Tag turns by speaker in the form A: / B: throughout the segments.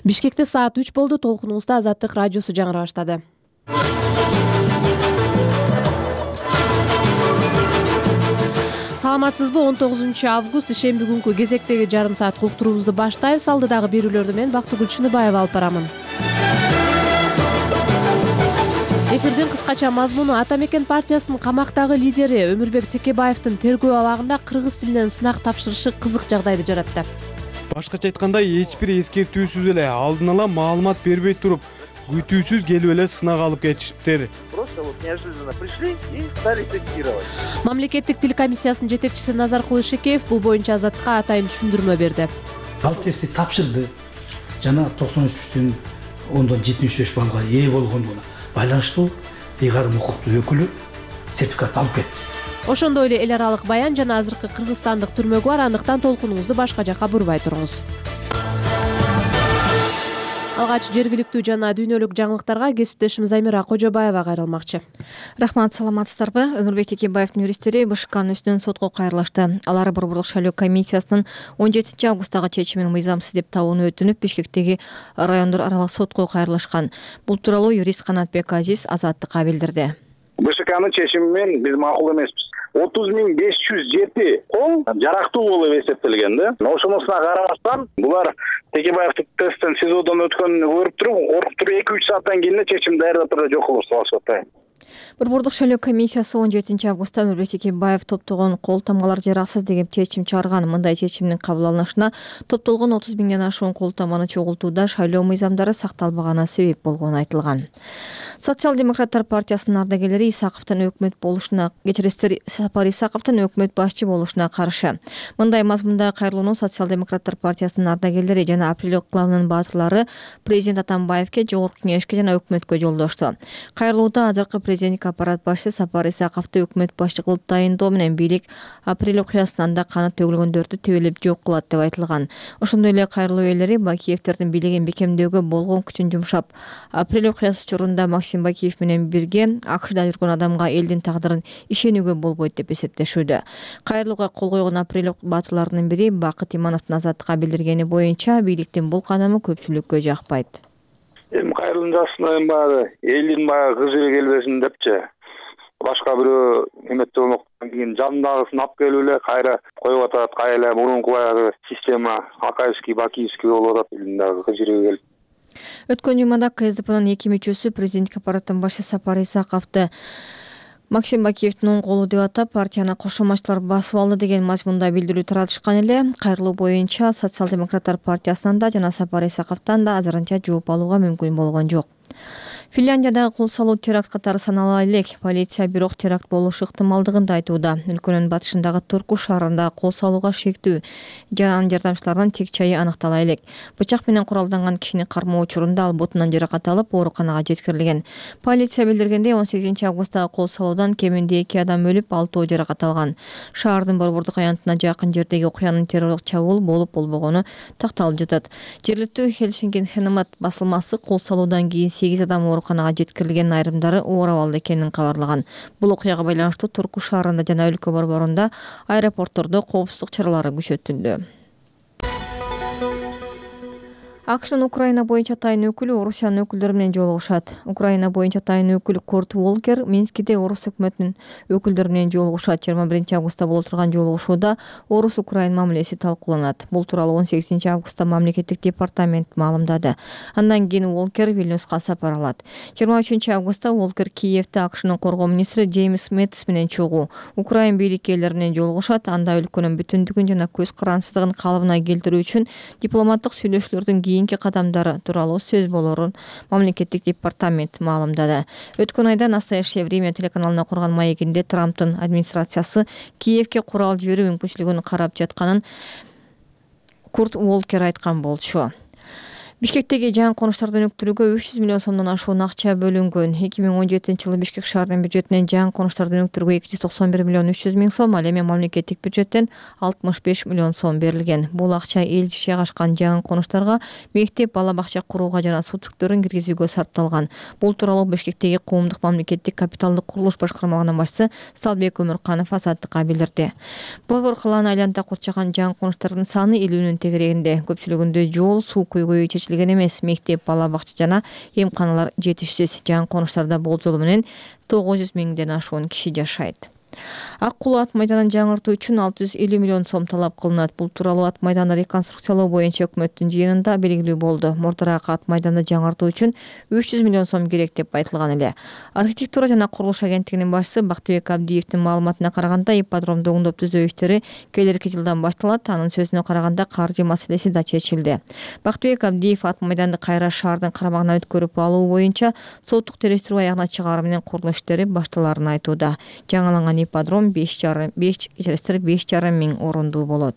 A: Бишкекте саат 3 болду. Толкунуңузда Азаттык радиосу жаңыра баштады. Саламатсызбы? 19 август ишемби күнкү кезектеги жарым саат уктуруубузду баштайбыз. Алдыдагы берүүлөрдү мен Бактыгүл Чыныбаева алып барамын. Эфирдин кыскача мазмуну: Ата Мекен партиясынын камактагы лидери Өмүрбек Текебаевдин тергөө абагында кыргыз тилинен сынак тапшырышы кызык жагдайды жаратты.
B: Башкача айтканда, эч бир эскертүүсүз эле алдын ала маалымат бербей туруп, күтүүсүз келип эле сынак алып кетишиптир.
C: Просто неожиданно пришли и стали тестировать.
A: Мамлекеттик тил комиссиясынын жетекчиси Назаркул Ишекеев бул боюнча Азаттыкка атайын түшүндүрмө берди.
D: Ал тестти тапшырды жана 93,75 балга ээ болгондугуна байланыштуу ыйгарым укуктуу өкүлү сертификат алып кетти.
A: Ошондой эле эл аралык баян жана азыркы кыргызстандык түрмөгү бар. Андыктан толкунуңузду башка жакка бурбай туруңуз. Алгач жергиликтүү жана дүйнөлүк жаңылыктарга кесиптешим Замира Кожобаева кайрылмакчы.
E: Рахмат, саламатсыздарбы? Өмүрбек Текебаевдин юристтери БШКнын үстүнөн сотко кайрылышты. Алар Борборлук шайлоо комиссиясынын 17 августтагы чечимин мыйзамсыз деп табууну өтүнүп, Бишкектеги райондор аралык сотко кайрылышкан. Бул тууралуу юрист Канатбек Азиз Азаттыкка билдирди.
C: БШКнын чечими менен биз макул эмеспиз. 30.507 кол жарактуу болуп эсептелген да. Ошонусуна карабастан булар Текебаевдин тесттен СИЗОдон өткөнүн көрүп туруп, коркуп туруп 2-3 сааттан кийин чечим даярдап турган жок кылып салышып атат.
E: Борборлук шайлоо комиссиясы 17 августта Өмүрбек Текебаев топтогон кол тамгалар жараксыз деген чечим чыгарган. Мындай чечимдин кабыл алынышына топтолгон 30 миңден ашуун кол тамганы чогултууда шайлоо мыйзамдары сакталбаганы себеп болгону айтылган. Социал-демократтар партиясынын ардагерлери Исаковдун өкмөт болушуна, кечиресиздер, Сапар Исаковдун өкмөт башчы болушуна каршы. Мындай мазмунда кайрылууну Социал-демократтар партиясынын ардагерлери жана Апрель клубунун баатырлары президент Атамбаевке, жогорку кеңешке жана өкмөткө жолдошту. Кайрылууда азыркы президенттик аппарат башчысы Сапар Исаковду өкмөт башчы кылып дайындоо менен бийлик Апрель окуясынан да каны төгүлгөндөрдү тебелеп жок кылат деп айтылган. Ошондой эле кайрылуу ээлери Бакиевдердин бийлигин бекемдөөгө болгон күчүн жумшап, Апрель окуясы учурунда Максим Бакиев менен бирге АКШда жүргөн адамга элдин тагдырын ишенүүгө болбойт деп эсептешүүдө. Кайрылууга кол койгон Апрель баатырларынын бири Бакыт Имановдун Азаттыкка билдиргени боюнча бийликтин бул кадамы көпчүлүккө жакпайт.
C: Кайрылуун жасына баягы элдин баягы кызы келбесин депчи. Башка бирөө эметте болмоктон кийин жандагысын алып келип эле кайра коюп атат. Кайра мурунку баягы система Акаевский, Бакиевский болуп атат элдин дагы кызыры келип.
E: Өткөн жумада КСДПнын 2 мүчөсү президенттик аппараттын башчысы Сапар Исаковду Максим Бакиевдин оң колу деп атап, партияны кошомачтылар басып алды деген мазмунда билдирүү таратышкан эле. Кайрылуу боюнча Социал-демократтар партиясынан да жана Сапар Исаковдон да азырынча жооп алууга мүмкүн болгон жок. Финляндиядагы кол салуу теракт катары санала элек. Полиция бирок теракт болушу ыктымалдыгын да айтууда. Өлкөнүн батышындагы Турку шаарында кол салууга шектүү жана жардамчылардын тек чайы аныктала элек. Бычак менен куралданган кишини кармоо учурунда ал бутунан жаракат алып, ооруканага жеткирилген. Полиция билдиргендей, 18 августтагы кол салуудан кеминде 2 адам өлүп, 6 жаракат алган. Шаардын борбордук аянтына жакын жердеги окуянын террорлук чабуул болуп болбогону такталып жатат. Жергиликтүү Хельсинки басылмасы кол салуудан кийин 8 адам ооруканага жеткирилген, айрымдары оор абалда экенин кабарлаган. Бул окуяга байланыштуу Турку шаарында жана өлкө борборунда аэропорттордо коопсуздук чаралары күчөтүлдү. АКШнын Украина боюнча атайын өкүлү Орусиянын өкүлдөрү менен жолугушат. Украина боюнча атайын өкүл Курт Волкер Минскиде Орус өкмөтүнүн өкүлдөрү менен жолугушат. 21 августта боло турган жолугушууда Орус-Украин мамилеси талкууланат. Бул тууралуу 18 августта мамлекеттик департамент маалымдады. Андан кийин Волкер Вильнюска сапар алат. 23 августта Волкер Киевде АКШнын коргоо министри Джеймс Мэттис менен чогуу Украин бийликкерлери менен жолугушат. Анда өлкөнүн бүтүндүгүн жана көз карансыздыгын калыбына келтирүү үчүн дипломаттык сүйлөшүүлөрдүн кийинки кадамдары тууралуу сөз болорун мамлекеттик департамент маалымдады. Өткөн айда «Настоящее время» телеканалына курган маегинде Трамптын администрациясы Киевге курал жиберүү мүмкүнчүлүгүн карап жатканын Курт Волкер айткан болчу. Бишкектеги жаңы конуштарды өнүктүрүүгө 300 миллион сомдон ашуун акча бөлүнгөн. 2017-жылы Бишкек шаарынын бюджетинен жаңы конуштарды өнүктүрүүгө 291 миллион 300 миң сом, ал эми мамлекеттик бюджеттен 65 миллион сом берилген. Бул акча эл иши ашкан жаңы конуштарга, мектеп, бала бакча курууга жана суу түтүктөрүн киргизүүгө сарпталган. Бул тууралуу Бишкектеги коомдук мамлекеттик капиталдык курулуш башкармалыгынын башчысы Салбек Өмүрканов Азаттыкка билдирди. Борбор калааны айланта курчаган жаңы конуштардын саны 50-нün тегерегинде. Көпчүлүгүндө жол, суу көйгөйү чечилген. чечилген эмес. Мектеп, бала бакча жана эмканалар жетишсиз. Жаңы конуштарда болжолу менен 900 миңден ашуун киши жашайт. Ак Кулуу ат майданын жаңыртуу үчүн 650 миллион сом талап кылынат. Бул тууралуу ат майданды реконструкциялоо боюнча өкмөттүн жыйынында белгилүү болду. Мурдараак ат майданды жаңыртуу үчүн 300 миллион сом керек деп айтылган эле. Архитектура жана курулуш агенттигинин башчысы Бактыбек Абдиевдин маалыматына караганда, ипподромду оңдоп түзөө иштери келерки жылдан башталат. Анын сөзүнө караганда, каржы маселеси да чечилди. Бактыбек Абдиев ат майданды кайра шаардын карамагына өткөрүп алуу боюнча соттук териштирүү аягына чыгаруу менен курулуш иштери башталарын айтууда. Жаңыланган ипподром 5,5 миң орундуу болот.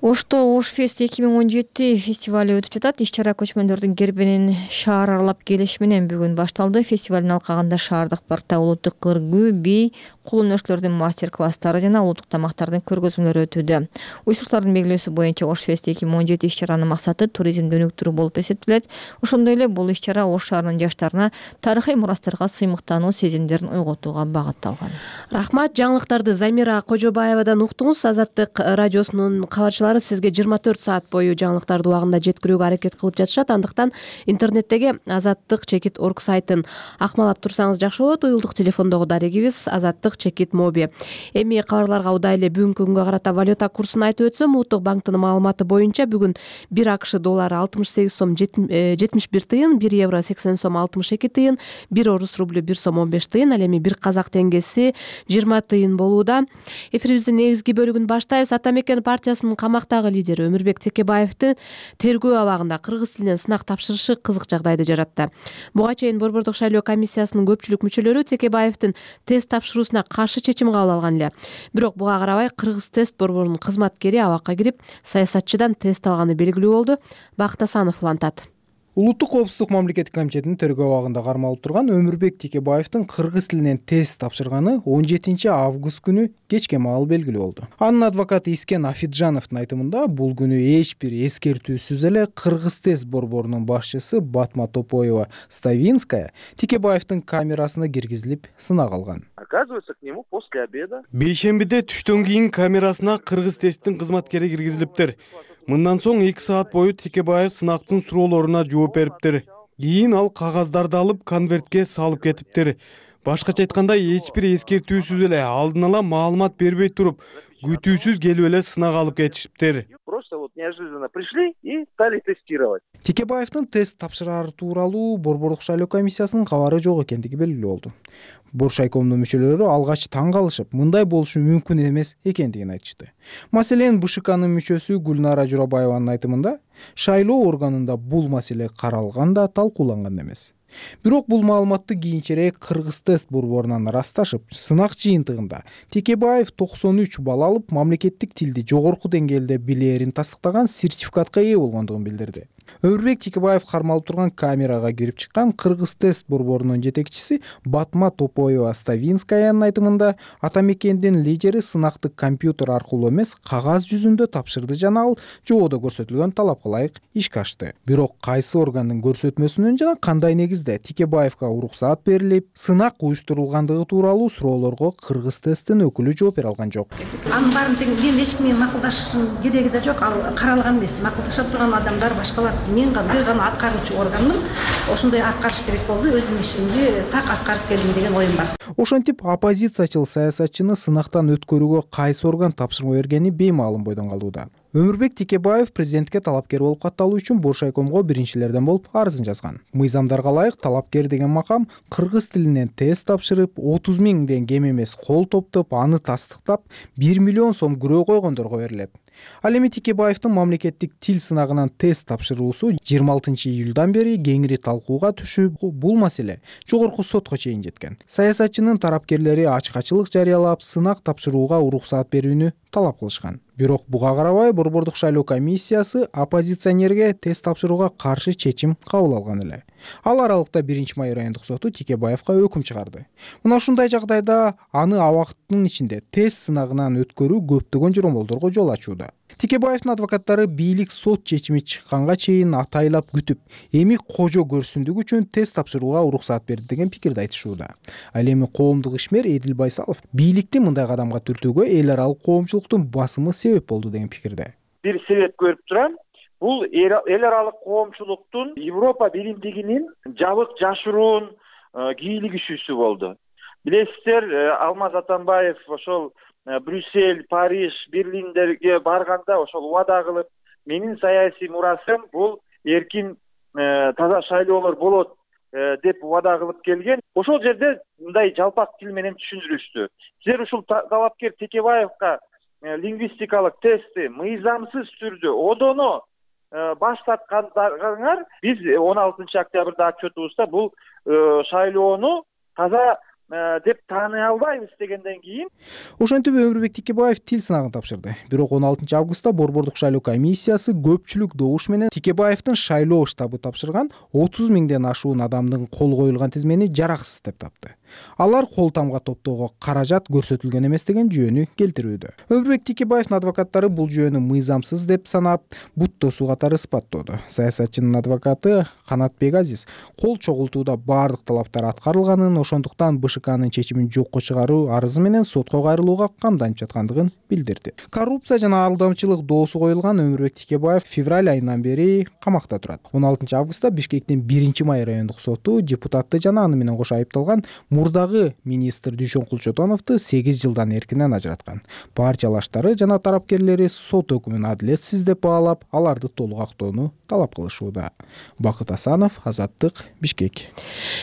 E: Ошто Ошфест 2017 фестивали өтүп жатат. Иш-чара көчмөндөрдүн гербинин шаар аралап келиши менен бүгүн башталды. Фестивалдын алкагында шаардык паркта улуттук кыргыз, би, кулун өрчлөрдүн мастер-класстары жана улуттук тамактардын көргөзмөлөрү өтүүдө. Уюштуруучулардын белгилөөсү боюнча Ошфест 2017 иш-чаранын максаты туризмди өнүктүрүү болуп эсептелет. Ошондой эле бул иш-чара Ош шаарынын жаштарына тарыхый мурастарга сыймыктануу сезимдерин ойготууга багытталган.
A: Рахмат. Жаңылыктарды Замира Кожобаевадан уктуңуз. Азаттык радиосунун кабарчылары сизге 24 саат бою жаңылыктарды убагында жеткирүүгө аракет кылып жатышат. Андыктан интернеттеги azattik.org сайтын акмалап турсаңыз жакшы болот. Уюлдук телефондогу дарегибиз azattik.mobi. Эми кабарларга удайлы бүгүнкү күнгө карата валюта курсун айтып өтсөм, Улуттук банктын маалыматы боюнча бүгүн 1 АКШ доллары 68 сом 71 тыйын, 1 евро 80 сом 62 тыйын, 1 орус рублю 1 сом 15 тыйын, ал эми 1 казак теңгеси 20 тыйын болууда. Эфирибиздин негизги бөлүгүн баштайбыз. Ата мекен партиясынын камактагы лидери Өмүрбек Текебаевдин тергөө абагында кыргыз тилинен сынак тапшырышы кызык жагдайды жаратты. Буга чейин Борбордук шайлоо комиссиясынын көпчүлүк мүчөлөрү Текебаевдин тест тапшыруусуна каршы чечим кабыл алган эле. Бирок буга карабай Кыргыз тест борборунун кызматкери абакка кирип саясатчыдан тест алганы белгилүү болду. Бакыт Асанов улантат.
B: Улуттук коопсуздук мамлекеттик комитетинин тергөө абагында кармалып турган Өмүрбек Текебаевдин кыргыз тилинен тест тапшырганы 17 август күнү кечке маал белгилүү болду. Анын адвокаты Искен Афиджановдун айтымында, бул күнү эч бир эскертүүсүз эле Кыргыз тест борборунун башчысы Батма Топоева Ставинская Текебаевдин камерасына киргизилип сынак алган.
F: Оказывается, к нему после обеда.
B: Бейшембиде түштөн кийин камерасына Кыргыз тесттин кызматкери киргизилиптир. Мындан соң 2 саат бою Текебаев сынактын суроолоруна жооп бериптир. Кийин ал кагаздарды алып конвертке салып кетиптир. Башкача айтканда, эч бир эскертүүсүз эле алдын ала маалымат бербей туруп, күтүүсүз келип эле сынак алып кетишиптир.
F: Просто вот неожиданно пришли и стали тестировать.
B: Текебаевдин тест тапшырары тууралуу Борбордук шайлоо комиссиясынын кабары жок экендиги белгилүү болду. Боршайкомдун мүчөлөрү алгач таң калышып, мындай болушу мүмкүн эмес экендигин айтышты. Маселен, БШКнын мүчөсү Гүлнара Журабаеванын айтымында, шайлоо органында бул маселе каралган да талкууланган эмес. Бирок бул маалыматты кийинчерээк Кыргыз тест борборунан ырасташып, сынак жыйынтыгында Текебаев 93 балл алып, мамлекеттик тилди жогорку деңгээлде билээрин тастыктаган сертификатка ээ болгондугун билдирди. Өмүрбек Текебаев кармалып турган камерага кирип чыккан Кыргыз тест борборунун жетекчиси Батма Топоева Ставинскаянын айтымында, ата мекендин лидери сынакты компьютер аркылуу эмес, кагаз жүзүндө тапшырды жана ал жободо көрсөтүлгөн талапка ылайык ишке ашты. Бирок кайсы органдын көрсөтмөсүнөн жана кандай негизде Текебаевга уруксаат берилип, сынак уюштурулгандыгы тууралуу суроолорго Кыргыз тесттин өкүлү жооп бере алган жок.
G: Анын баарын мен эч ким менен макулдашышым кереги да жок. Ал каралган эмес. Макулдаша турган адамдар башкалар. Мен бир гана аткаруучу органмын. Ошондой аткарыш керек болду. Өзүмдүн ишимди так аткарып келдим деген оюм бар.
B: Ошентип, оппозициячыл саясатчыны сынактан өткөрүүгө кайсы орган тапшырма бергени беймаалым бойдон калууда. Өмүрбек Текебаев президентке талапкер болуп катталуу үчүн Боршайкомго биринчилерден болуп арызын жазган. Мыйзамдарга ылайык талапкер деген макам кыргыз тилинен тест тапшырып, 30 миңден кем эмес кол топтоп, аны тастыктап, 1 миллион сом күрөө койгондорго берилет. Ал эми Текебаевдин мамлекеттик тил сынагынан тест тапшыруусу 26 июлдан бери кеңири талкууга түшүп, бул маселе жогорку сотко чейин жеткен. Саясатчынын тарапкерлери ачкачылык жарыялап, сынак тапшырууга уруксаат берүүнү талап кылышкан. Бирок буга карабай Борбордук шайлоо комиссиясы оппозиционерге тест тапшырууга каршы чечим кабыл алган эле. Ал аралыкта 1-май райондук соту Текебаевга өкүм чыгарды. Мына ушундай жагдайда аны абактын ичинде тест сынагынан өткөрүү көптөгөн жоромолдорго жол ачууда. Текебаевдин адвокаттары бийлик сот чечими чыкканга чейин атайлап күтүп, эми кожо көрсүндүк үчүн тест тапшырууга уруксаат берди деген пикирди айтышууда. Ал эми коомдук ишмер Эдил Байсалов бийликти мындай кадамга түртүүгө эл аралык коомчулуктун басымы себеп болду деген пикирде.
F: Бир себеп көрүп турам. бул эл аралык коомчулуктун Европа биримдигинин жабык жашыруун кийлигишүүсү болду. Билесиздер, Алмаз Атамбаев ошол Брюссель, Париж, Берлиндерге барганда ошол убада кылып, менин саясий мурасым бул эркин таза шайлоолор болот деп убада кылып келген. Ошол жерде мындай жалпак тил менен түшүндүрүштү. Силер ушул талапкер Текебаевка лингвистикалык тестти мыйзамсыз түрдө одоно баш тарткандарыңар, биз 16 октябрда отчетубузда бул шайлоону таза деп тааный албайбыз дегенден кийин
B: ошентип Өмүрбек Текебаев тил сынагын тапшырды. Бирок 16 августта Борбордук шайлоо комиссиясы көпчүлүк добуш менен Текебаевдин шайлоо штабы тапшырган 30 миңден ашуун адамдын кол коюлган тизмени жараксыз деп тапты. Алар кол тамга топтоого каражат көрсөтүлгөн эмес деген жүйөнү келтирүүдө. Өмүрбек Текебаевдин адвокаттары бул жүйөнү мыйзамсыз деп санап, бут тосуу катары испаттоодо. Саясатчынын адвокаты Канатбек Азиз кол чогултууда баардык талаптар аткарылганын, ошондуктан БШКнын чечимин жокко чыгаруу арызы менен сотко кайрылууга камданып жаткандыгын билдирди. Коррупция жана алдамчылык доосу коюлган Өмүрбек Текебаев февраль айынан бери камакта турат. 16 августта Бишкектин 1-май райондук соту депутатты жана аны менен кошо айыпталган мурдагы министр Дүйшөн Кулчотоновду 8 жылдан эркинен ажыраткан. Партия алаштары жана тарапкерлери сот өкүмүн адилетсиз деп баалап, аларды толук актоону талап кылышууда. Бакыт Асанов, Азаттык, Бишкек.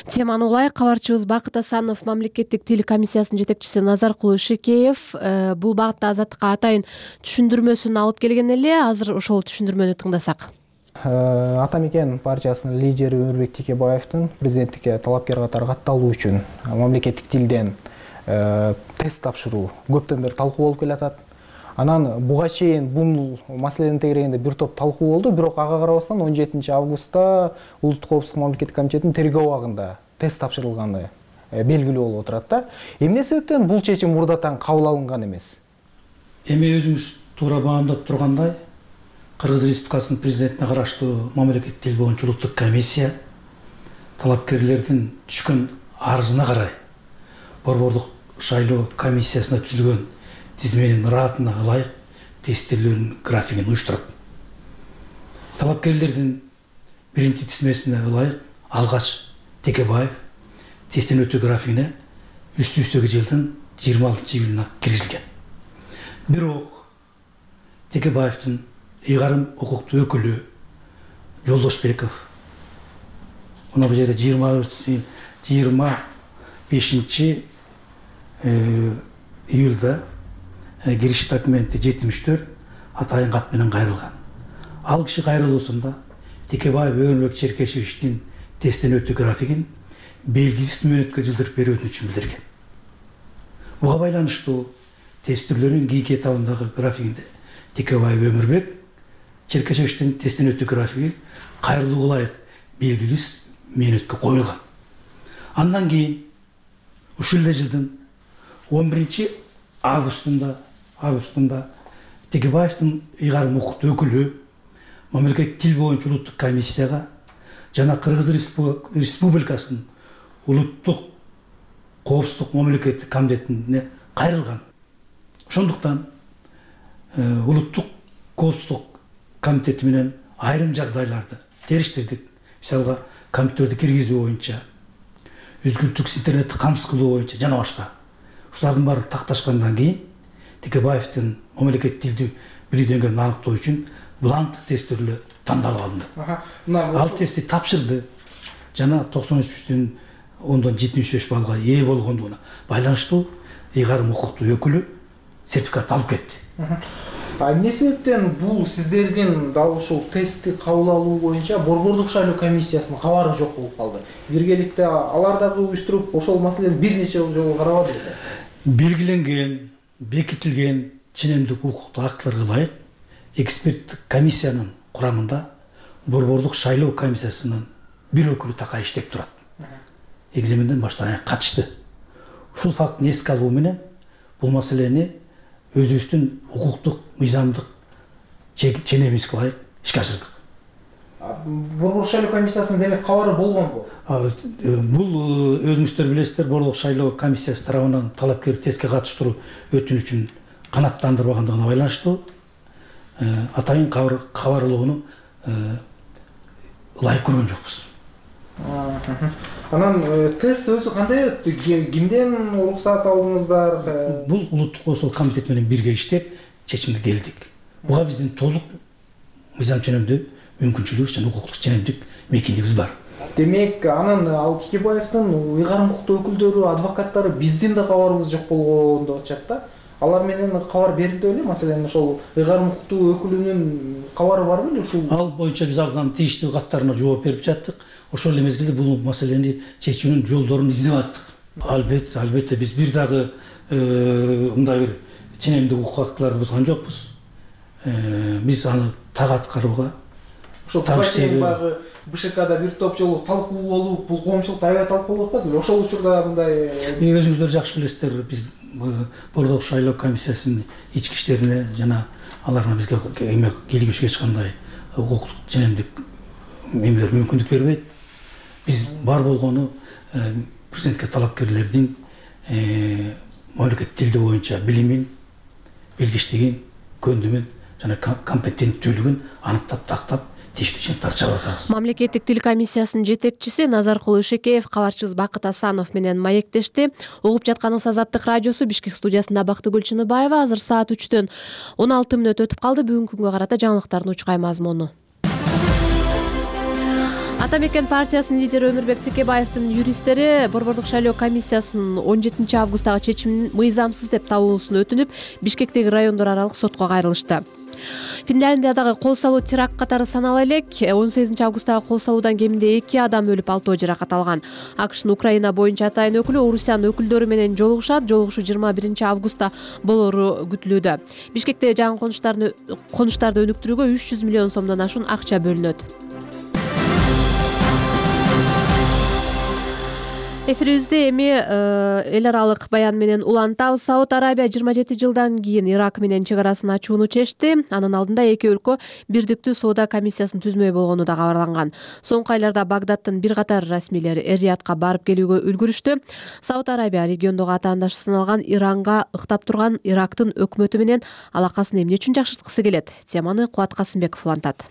A: Теманы улай кабарчыбыз Бакыт Асанов, мамлекеттик тил комиссиясынын жетекчиси Назаркулуу Шекеев бул багытта Азаттыкка атайын түшүндүрмөсүн алып келген эле. Азыр ошол түшүндүрмөнү тыңдасак.
B: Ата мекен партиясынын лидери Өмүрбек Текебаевдин президенттикке талапкер катары катталуу үчүн мамлекеттик тилден тест тапшыруу көптөн бери талкуу болуп келатат. Анан буга чейин бул маселени тегерегенде бир топ талкуу болду, бирок ага карабастан 17 августта Улуттук коопсуздук мамлекеттик комитетинин тергөө абагында тест тапшырылганы белгилүү болуп отурат да. Эмне себептен бул чечим мурдатан кабыл алынган эмес?
D: Эми өзүңүз туура баамдап тургандай, Кыргыз Республикасынын президентине караштуу мамлекеттик тил боюнча улуттук комиссия талапкерлердин түшкөн арызына карай Борбордук шайлоо комиссиясына түзүлгөн тизменин ыраатына ылайык тестилөөнүн графигин уюштурат. Талапкерлердин биринчи тизмесине ылайык алгач Текебаев тесттин өтүү графигине үстү-үстөгү жылдын 26 июлуна киргизилген. Бирок Текебаевдин ыйгарым укуктуу өкүлү Жолдошбеков мына бул жерде 25 июлда кириш документи 74 атайын кат менен кайрылган. Ал киши кайрылуусунда Текебаев Өмүрбек Черкешевичтин тесттен өтүү графигин белгисиз мөөнөткө жылдырып берүүдүн үчүн билдирген. Буга байланыштуу тест түрлөрүнүн кийинки этабындагы графигинде Текебаев Өмүрбек Черкешевичтин тесттен өтүү графиги кайрылууга ылайык белгилүү мөөнөткө коюлган. Андан кийин ушул эле жылдын 11 августунда Текебаевдин ыйгарым укуктуу өкүлү мамлекеттик тил боюнча улуттук комиссияга жана Кыргыз Республикасынын улуттук коопсуздук мамлекеттик комитетине кайрылган. Ошондуктан улуттук коопсуздук комитети менен айрым жагдайларды териштирдик. Мисалга компьютерди киргизүү боюнча, үзгүлтүксүз интернетти камсыз кылуу боюнча жана башка. Ушулардын баары такташкандан кийин Текебаевдин мамлекеттик тилди билүү деңгээлин аныктоо үчүн бланк тесттери тандалып алынды. Ал тестти тапшырды жана 93,75 баллга ээ болгондугуна байланыштуу ыйгарым укуктуу өкүлү сертификат алып кетти.
B: Эмне себептен бул сиздердин дал ушул тестти кабыл алуу боюнча Борбордук шайлоо комиссиясынын кабары жок болуп калды? Биргеликте алар дагы уюштуруп ошол маселени бир нече жолу карабады беле?
D: Белгиленген, бекитилген ченемдик укуктуу актыларга ылайык эксперттик комиссиянын курамында Борбордук шайлоо комиссиясынын бир өкүлү такай иштеп турат. Экзаменден баштан аяк катышты. Ушул фактыны эске алуу менен бул маселени өзүбүздүн укуктук, мыйзамдык ченемибизге ылайык ишке ашырдык.
B: Борбордук шайлоо комиссиясынын демек кабары болгонбу?
D: Бул өзүңүздөр билесиздер, Борбордук шайлоо комиссиясы тарабынан талапкер тестке катыштыруу өтүнүчүн канааттандырбагандыгына байланыштуу атайын кабарлоону ылайык көргөн жокпуз.
B: Анан тест өзү кандай өттү? Кимден уруксат алдыңыздар?
D: Бул улуттук коопсуздук комитети менен бирге иштеп чечимге келдик. Буга биздин толук мыйзам ченемдүү мүмкүнчүлүгүбүз жана укуктук ченемдик мекендигибиз бар.
B: Демек, анан ал Текебаевдин ыйгарым укуктуу өкүлдөрү, адвокаттары биздин да кабарыбыз жок болгон деп атышат да. Алар менен кабар берилди беле? Маселен, ошол ыйгарым укуктуу өкүлүнүн кабары бар беле ушул?
D: Ал боюнча биз алган тийиштүү каттарына жооп берип жаттык. Ошол эле мезгилде бул маселени чечүүнүн жолдорун издеп аттык. Албетте биз бир дагы мындай бир ченемдик укук актыларды бузган жокпуз. Биз аны так аткарууга
B: ошол баягы БШКда бир топ жолу талкуу болуп, бул коомчулукта аябай талкуулап атпады беле? Ошол учурда мындай
D: өзүңүздөр жакшы билесиздер, биз Бордок шайлоо комиссиясынын ички иштерине жана аларга бизге келгүчкө эч кандай укуктук ченемдик эмелер мүмкүндүк бербейт. Биз бар болгону президентке талапкерлердин мамлекеттик тилди боюнча билимин, билгичтигин, көндүмүн жана компетенттүүлүгүн аныктап, тактап, тийиштүү чыгымдар чыгарып атабыз.
A: Мамлекеттик тил комиссиясынын жетекчиси Назаркул Ишекеев кабарчыбыз Бакыт Асанов менен маектешти. Угуп жатканыңыз Азаттык радиосу, Бишкек студиясында Бактыгүл Чыныбаева. Азыр саат 3-төн 16 мүнөт өтүп калды. Бүгүнкү күнгө карата жаңылыктардын учкай мазмуну. Ата мекен партиясынын лидери Өмүрбек Текебаевдин юристтери Борбордук шайлоо комиссиясынын 17 августтагы чечимин мыйзамсыз деп табуусун өтүнүп, Бишкектеги райондор аралык сотко кайрылышты. Финляндиядагы кол салуу теракт катары санала элек. 18 августтагы кол салуудан кеминде 2 адам өлүп, 6 жаракат алган. АКШнын Украина боюнча атайын өкүлү Орусиянын өкүлдөрү менен жолугушат. Жолугушуу 21 августта болору күтүлүүдө. Бишкектеги жаңы конуштарды өнүктүрүүгө 300 миллион сомдон ашуун акча бөлүнөт. Эфирибизде эми эл аралык баян менен улантабыз. Сауд Арабия 27 жылдан кийин Ирак менен чек арасын ачууну чечти. Анын алдында эки өлкө бирдиктүү соода комиссиясын түзмөй болгону да кабарланган. Соңку айларда Багдадтын бир катар расмийлери Эр-Риядка барып келүүгө үлгүрүштү. Сауд Арабия региондогу атаандашы саналган Иранга ыктап турган Ирактын өкмөтү менен алакасын эмне үчүн жакшырткысы келет? Теманы Кубат Касымбеков улантат.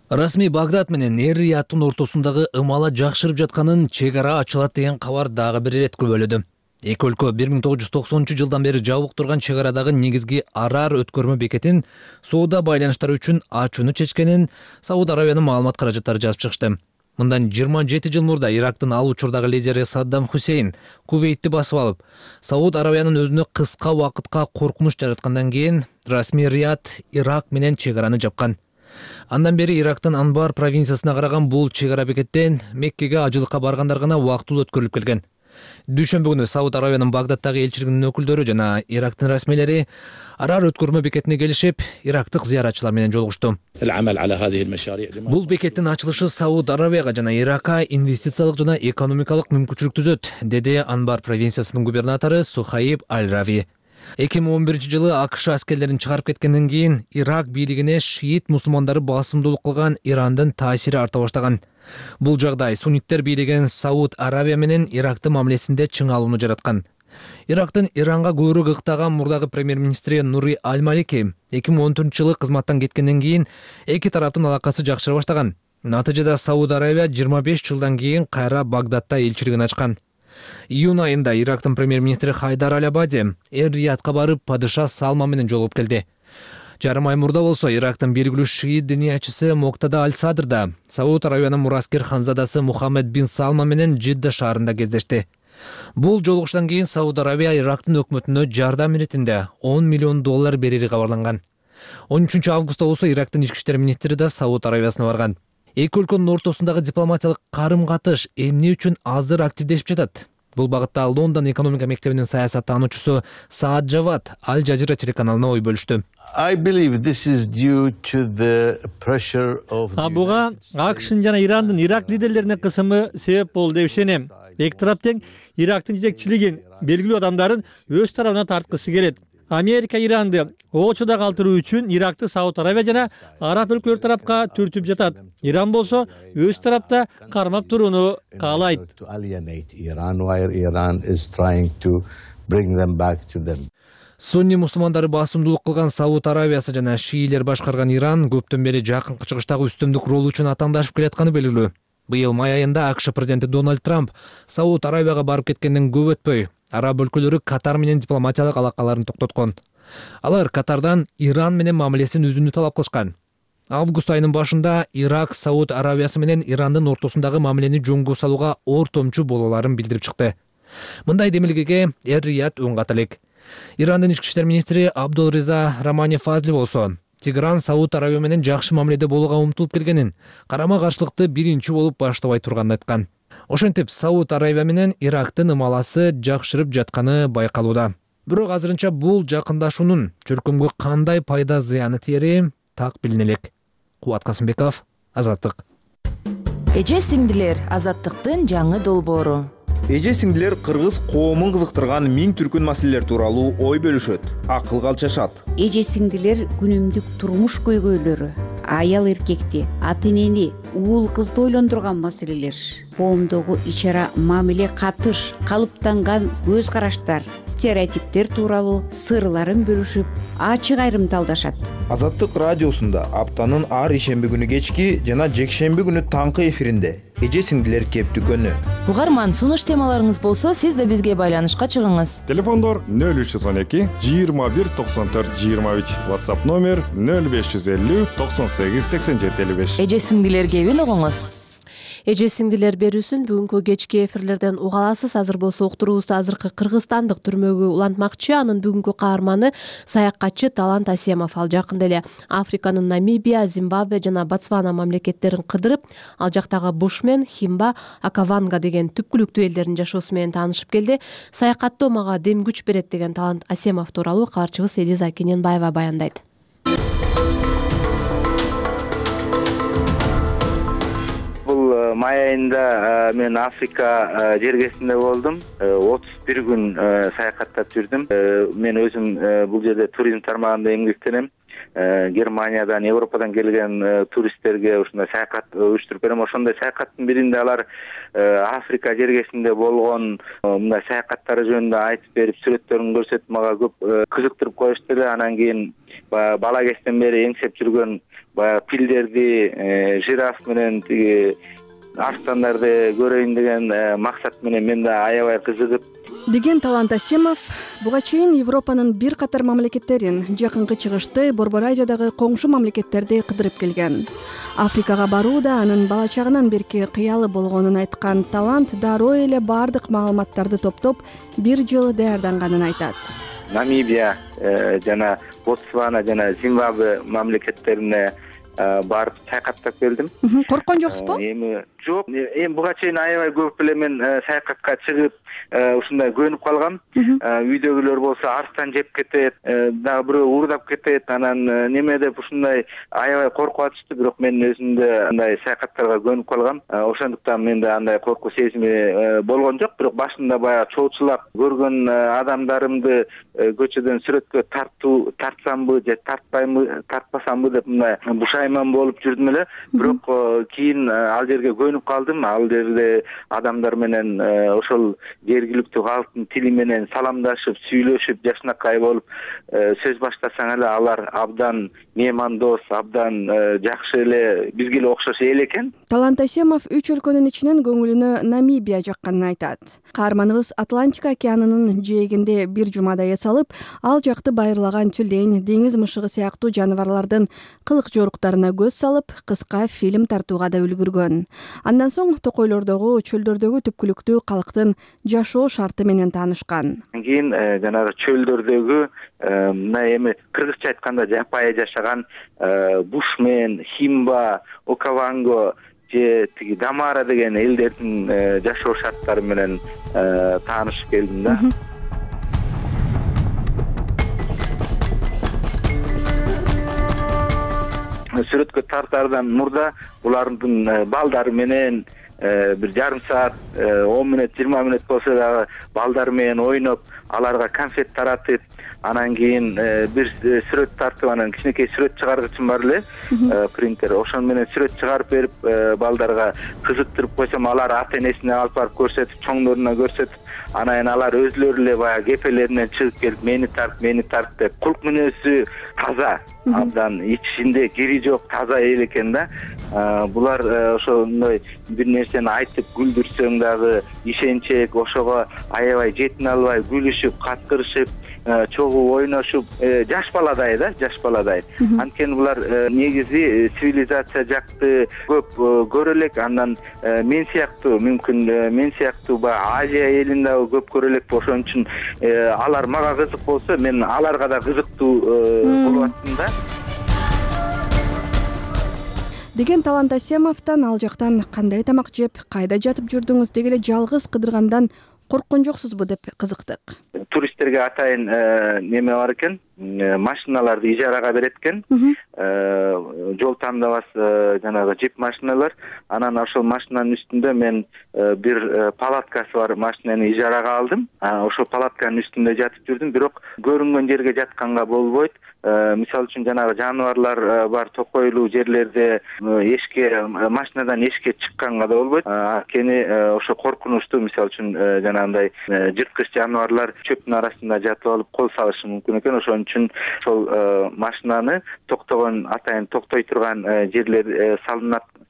H: Расмий Багдад менен Эр-Рияттын ортосундагы ымала жакшырып жатканын, чек ара ачылат деген кабар дагы бир ирет күбөлөдү. Эки өлкө 1990 жылдан бери жабык турган чек арадагы негизги Арар өткөрмө бекетин соода байланыштары үчүн ачууну чечкенин Сауд Арабиянын маалымат каражаттары жазып чыгышты. Мындан 27 жыл мурда Ирактын ал учурдагы лидери Саддам Хусейн Кувейтти басып алып, Сауд Арабиянын өзүнө кыска убакытка коркунуч жараткандан кийин расмий Рият Ирак менен чек араны жапкан. Андан бери Ирактын Анбар провинциясына караган бул чек ара бекеттен Меккеге ажылыкка баргандар гана убактылуу өткөрүлүп келген. Дүйшөмбү күнү Сауд Арабиянын Багдадтагы элчилигинин өкүлдөрү жана Ирактын расмийлери Арар өткөрмө бекетине келишип, ирактык зыяратчылар менен жолугушту. Бул бекеттин ачылышы Сауд Арабияга жана Иракка инвестициялык жана экономикалык мүмкүнчүлүк түзөт, деди Анбар провинциясынын губернатору Сухайб Аль-Рави. 2011 жылы АКШ аскерлерин чыгарып кеткенден кийин Ирак бийлигине шиит мусулмандары басымдуулук кылган Ирандын таасири арта баштаган. Бул жагдай сунниттер бийлеген Сауд Арабия менен Ирактын мамилесинде чыңалууну жараткан. Ирактын Иранга көбүрөөк ыктаган мурдагы премьер-министри Нури Аль-Малики 2014 жылы кызматтан кеткенден кийин эки тараптын алакасы жакшыра баштаган. Натыйжада Сауд Арабия 25 жылдан кийин кайра Багдадта элчилигин ачкан. Июнь айында Ирактын премьер-министри Хайдар Аль-Абади Эр-Риядка барып, падыша Салма менен жолугуп келди. Жарым ай мурда болсо Ирактын белгилүү шиит диниячысы Моктада Аль-Садр да Сауд Арабиянын мураскер ханзадасы Мухаммед бин Салма менен Жидда шаарында кездешти. Бул жолугуштан кийин Сауд Арабия Ирактын өкмөтүнө жардам иретинде $10 миллион берери кабарланган. 13 августта болсо Ирактын ички иштер министри да Сауд Арабиясына барган. Эки өлкөнүн ортосундагы дипломатиялык карым-катыш эмне үчүн азыр активдешип жатат? Бул багытта Лондон экономика мектебинин саясаттануучусу Саад Жавад Аль Жазира телеканалына ой бөлүштү.
I: Буга АКШнын жана Ирандын Ирак лидерлерине кысымы себеп болду деп ишенем. Эки тарап тең Ирактын жетекчилигин, белгилүү адамдарын өз тарабына тарткысы келет. Америка Иранды очода калтыруу үчүн Иракты Сауд Арабия жана араб өлкөлөр тарапка түртүп жатат. Иран болсо өз тарапта кармап турууну каалайт.
H: Сунни мусулмандары басымдуулук кылган Сауд Аравиясы жана шиилер башкарган Иран көптөн бери жакынкы чыгыштагы үстүмдүк ролу үчүн атаандашып келатканы белгилүү. Быйыл май айында АКШ президенти Дональд Трамп Сауд Аравияга барып кеткенден көп өтпөй, араб өлкөлөрү Катар менен дипломатиялык алакаларын токтоткон. Алар Катардан Иран менен мамилесин үзүүнү талап кылышкан. Август айынын башында Ирак Сауд Аравиясы менен Ирандын ортосундагы мамилени жөнгө салууга ортомчу болооларын билдирип чыкты. Мындай демилгеге Эр-Рияд өң ката элек. Ирандын ички иштер министри Абдул-Риза Рамани Фазли болсо, Тегеран Сауд Аравия менен жакшы мамиледе болууга умтулуп келгенин, карама-каршылыкты биринчи болуп баштабай турганын айткан. Ошентип Сауд Аравия менен Ирактын ымаласы жакшырып жатканы байкалууда. Бирок азырынча бул жакындашуунун чөркөмгө кандай пайда зыяны тиери так билине элек. Кубат Касымбеков, Азаттык.
J: Эже сиңдилер, Азаттыктын жаңы долбоору.
K: Эже сиңдилер кыргыз коомун кызыктырган миң түркүн маселелер тууралуу ой бөлүшөт, акылга алчашат.
L: Эже сиңдилер күнүмдүк турмуш көйгөйлөрү, аял эркекти, ата энени, уул кызды ойлондурган маселелер, коомдогу ичара мамиле катыш, калыптанган көз караштар, стереотиптер тууралуу сырларын бөлүшүп, ачык айрымдалдашат.
K: Азаттык радиосунда аптанын ар ишемби күнү кечки жана жекшемби күнү таңкы эфиринде эже сиңдилер кептүкөнү.
J: Угарман, сунуш темаларыңыз болсо, сиз да бизге байланышка чыгыңыз.
M: Телефондор 0312 21 94 23, WhatsApp номер 0550 98 87 55.
J: Эже сиңдилер кебин угуңуз.
A: Эже сиңдилер берүүсүн бүгүнкү кечки эфирлерден уга аласыз. Азыр болсо уктуруубузду азыркы кыргызстандык түрмөгө улантмакчы. Анын бүгүнкү каарманы саякатчы Талант Асемов. Ал жакында эле Африканын Намибия, Зимбабве жана Ботсвана мамлекеттерин кыдырып, ал жактагы Бушмен, Химба, Акаванга деген түпкүлүктүү элдердин жашоосу менен таанышып келди. Саякаттоо мага дем күч берет деген Талант Асемов тууралуу кабарчыбыз Элиза Кененбаева баяндайт.
C: Май айында мен Африка жергесинде болдум. 31 күн саякаттап жүрдүм. Мен өзүм бул жерде туризм тармагында эмгектенем. Германиядан, Европадан келген туристтерге ушундай саякат уюштуруп берем. Ошондой саякаттын биринде алар Африка жергесинде болгон мындай саякаттары жөнүндө айтып берип, сүрөттөрүн көрсөтүп мага көп кызыктырып коюшту эле. Анан кийин бала кезден бери эңсеп жүргөн пилдерди, жираф менен тиги арстандарды көрөйүн деген максат менен мен да аябай кызыгып
N: деген Талант Асемов буга чейин Европанын бир катар мамлекеттерин, жакынкы чыгышты, Борбор Азиядагы коңшу мамлекеттерди кыдырып келген. Африкага баруу да анын бала чагынан берки кыялы болгонун айткан Талант дароо эле бардык маалыматтарды топтоп, бир жыл даярданганын айтат.
C: Намибия жана Ботсвана жана Зимбабве мамлекеттерине барып саякаттап келдим.
N: Корккон жоксузбу?
C: Жок, буга чейин аябай көп эле мен саякатка чыгып, ушундай көнүп калгам. Үйдөгүлөр болсо арстан жеп кетет, дагы бирөө уурдап кетет, анан неме деп ушундай аябай коркуп атышты. Бирок мен өзүмдө андай саякаттарга көнүп калгам. Ошондуктан менде андай коркуу сезими болгон жок. Бирок башында баягы чоочулап көргөн адамдарымды көчөдөн сүрөткө тартсамбы же тартпасамбы деп мындай бушайман болуп жүрдүм эле. Бирок кийин ал жерге көнүп калдым. Ал жерде адамдар менен ошол жергиликтүү калктын тили менен саламдашып, сүйлөшүп, жакшынакай болуп сөз баштасаң эле алар абдан меймандос, абдан жакшы эле, бизге эле окшош эл экен.
N: Талант Асемов 3 өлкөнүн ичинен көңүлүнө Намибия жакканын айтат. Каарманыбыз Атлантика океанынын жээгинде бир жумада эс алып, ал жакты байырлаган тюлень, деңиз мышыгы сыяктуу жаныбарлардын кылык жоруктарына көз салып, кыска фильм тартууга да үлгүргөн. Андан соң токойлордогу, чөлдөрдөгү түпкүлүктүү калктын жашоо шарты менен таанышкан.
C: Кийин жанагы чөлдөрдөгү мына эми кыргызча айтканда жапайы жашаган Бушмен, Химба, Окаванго же тиги Дамара деген элдердин жашоо шарттары менен таанышып келдим да. Сүрөткө тартаардан мурда булардын балдары менен бир жарым саат, 10 мүнөт, 20 мүнөт болсо дагы балдар менен ойноп, аларга конфет таратып, анан кийин бир сүрөт тартып, анан кичинекей сүрөт чыгаргычым бар эле, принтер. Ошон менен сүрөт чыгарып берип, балдарга кызыктырып койсом, алар ата энесине алып барып көрсөтүп, чоңдоруна көрсөтүп, анан кийин алар өзүлөрү эле баягы кепелеринен чыгып келип мени тарт деп кулк мүнөзү таза, абдан ичинде кири жок таза эл экен да. Булар ошондой бир нерсени айтып күлдүрсөң дагы ишенчек, ошого аябай жетине албай күлүшүп, каткырышып, чогуу ойношуп, жаш баладай да, жаш баладай. Анткени булар негизи цивилизация жакты көп көрө элек, андан мен сыяктуу, мүмкүн мен сыяктуу баягы Азия элин дагы көп көрө элек. Ошон үчүн алар мага кызык болсо, мен аларга да кызыктуу болуп аттым да.
N: Деген Талант Асемовдон ал жактан кандай тамак жеп, кайда жатып жүрдүңүз, деги эле жалгыз кыдыргандан корккон жоксузбу деп кызыктык.
C: Туристтерге атайын неме бар экен, машиналарды ижарага берет экен. Жол тандабас жанагы джип машиналар. Анан ошол машинанын үстүндө мен бир палаткасы бар машинаны ижарага алдым. Ошол палатканын үстүндө жатып жүрдүм, бирок көрүнгөн жерге жатканга болбойт. Мисалы үчүн жанагы жаныбарлар бар токойлуу жерлерде машинадан эшикке чыкканга да болбойт. Анткени ошо коркунучтуу, мисалы үчүн жанагындай жырткыч жаныбарлар чөптүн арасында жатып алып кол салышы мүмкүн экен. Ошон үчүн ошол машинаны токтогон, атайын токтой турган жерлер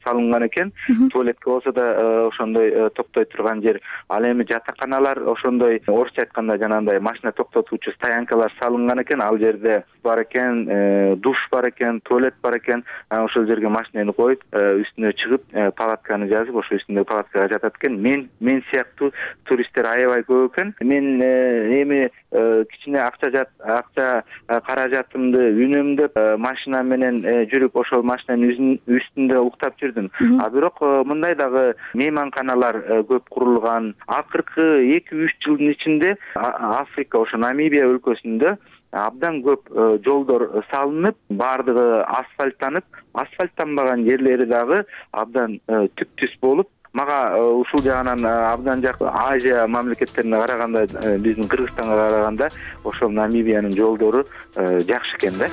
C: салынган экен. Туалетке болсо да ошондой токтой турган жер. Ал эми жатаканалар ошондой, орусча айтканда жанагындай машина токтотуучу стоянкалар салынган экен. Ал жерде бар экен, душ бар экен, туалет бар экен. Ошол жерге машинаны коюп, үстүнө чыгып, палатканы жазып, ошо үстүндө палаткага жатат экен. Мен сыяктуу туристтер аябай көп экен. Мен эми кичине акча каражатымды үнөмдөп машина менен жүрүп ошол машинанын үстүндө уктап жүрдүм. Бирок мындай дагы мейманканалар көп курулган. Акыркы 2-3 жылдын ичинде Африка, ошо Намибия өлкөсүндө абдан көп жолдор салынып, бардыгы асфальттанбаган жерлери дагы абдан түп-түз болуп, мага ушул жагынан абдан жакын. Азия мамлекеттерине караганда, биздин Кыргызстанга караганда ошол Намибиянын жолдору жакшы экен да.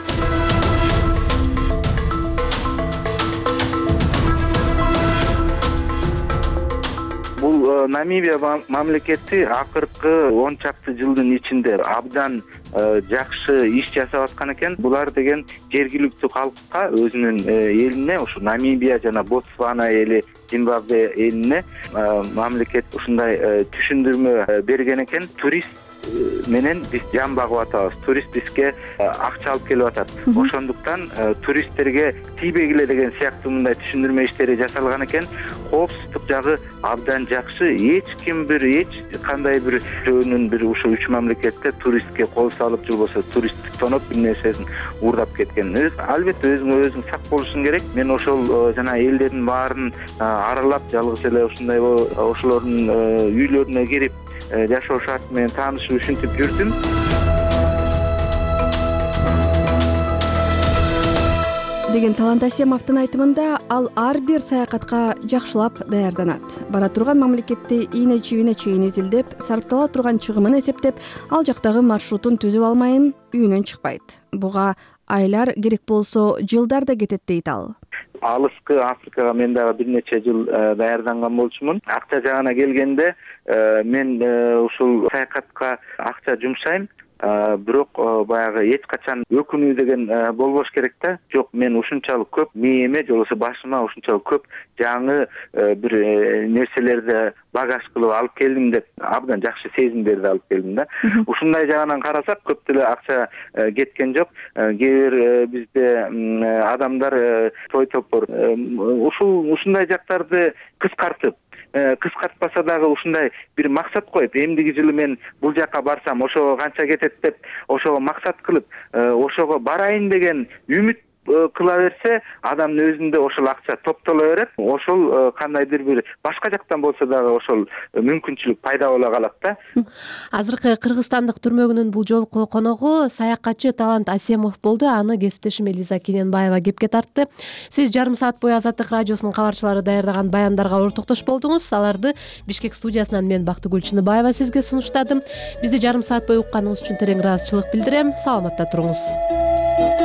C: Бул Намибия мамлекети акыркы 10 чакты жылдын ичинде абдан жакшы иш жасап аткан экен. Булар деген жергиликтүү калкка, өзүнүн элине, ушу Намибия жана Ботсвана эли, Зимбабве элине мамлекет ушундай түшүндүрмө берген экен. Турист менен биз жан багып атабыз. Турист бизге акча алып келип атат. Ошондуктан туристтерге тийбегиле деген сыяктуу мындай түшүндүрмө иштери жасалган экен. Коопсуздук жагы абдан жакшы. Эч кандай бир жөнүн бир ушу 3 мамлекетте туристке кол салып же болбосо туристтик тоноп бир нерсесин уурдап кеткен. Албетте өзүң сак болушуң керек. Мен ошол жана элдердин баарын аралап, жалгыз эле ушундай ошолордун үйлөрүнө кирип, жашоо шарты менен таанышып, ушинтип жүрдүм.
N: Деген Талант Асемовдун айтымында, ал ар бир саякатка жакшылап даярданат. Бара турган мамлекетти ийне чийине чейин изилдеп, сарптала турган чыгымын эсептеп, ал жактагы маршрутун түзүп алмайын үйүнөн чыкпайт. Буга айлар, керек болсо жылдар да кетет дейт ал.
C: Алыскы Африкага мен дагы бир нече жыл даярданган болчумун. Акча жагына келгенде мен ушул саякатка акча жумшайм. Бирок баягы эч качан өкүнүү деген болбош керек да. Жок, мен ушунчалык көп мээме же болбосо башыма ушунчалык көп жаңы бир нерселерди багаж кылып алып келдим деп абдан жакшы сезимдерди алып келдим да. Ушундай жагынан карасак, көп деле акча кеткен жок. Кээ бир бизде адамдар той топор ушундай жактарды кыскартпаса дагы ушундай бир максат коюп, эмдиги жылы мен бул жака барсам ошого канча кетет деп, ошого максат кылып, ошого барайын деген үмүт кыла берсе, адамдын өзүндө ошол акча топтоло берет. Ошол кандайдыр бир башка жактан болсо дагы ошол мүмкүнчүлүк пайда боло калат да.
A: Азыркы кыргызстандык түрмөгүнүн бул жолку коногу саякатчы Талант Асемов болду. Аны кесиптешим Элиза Кененбаева кепке тартты. Сиз жарым саат бою Азаттык радиосунун кабарчылары даярдаган баяндарга ортоктош болдуңуз. Аларды Бишкек студиясынан мен Бактыгүл Чыныбаева сизге сунуштадым. Бизди жарым саат бою укканыңыз үчүн терең ыраазычылык билдирем. Саламатта туруңуз.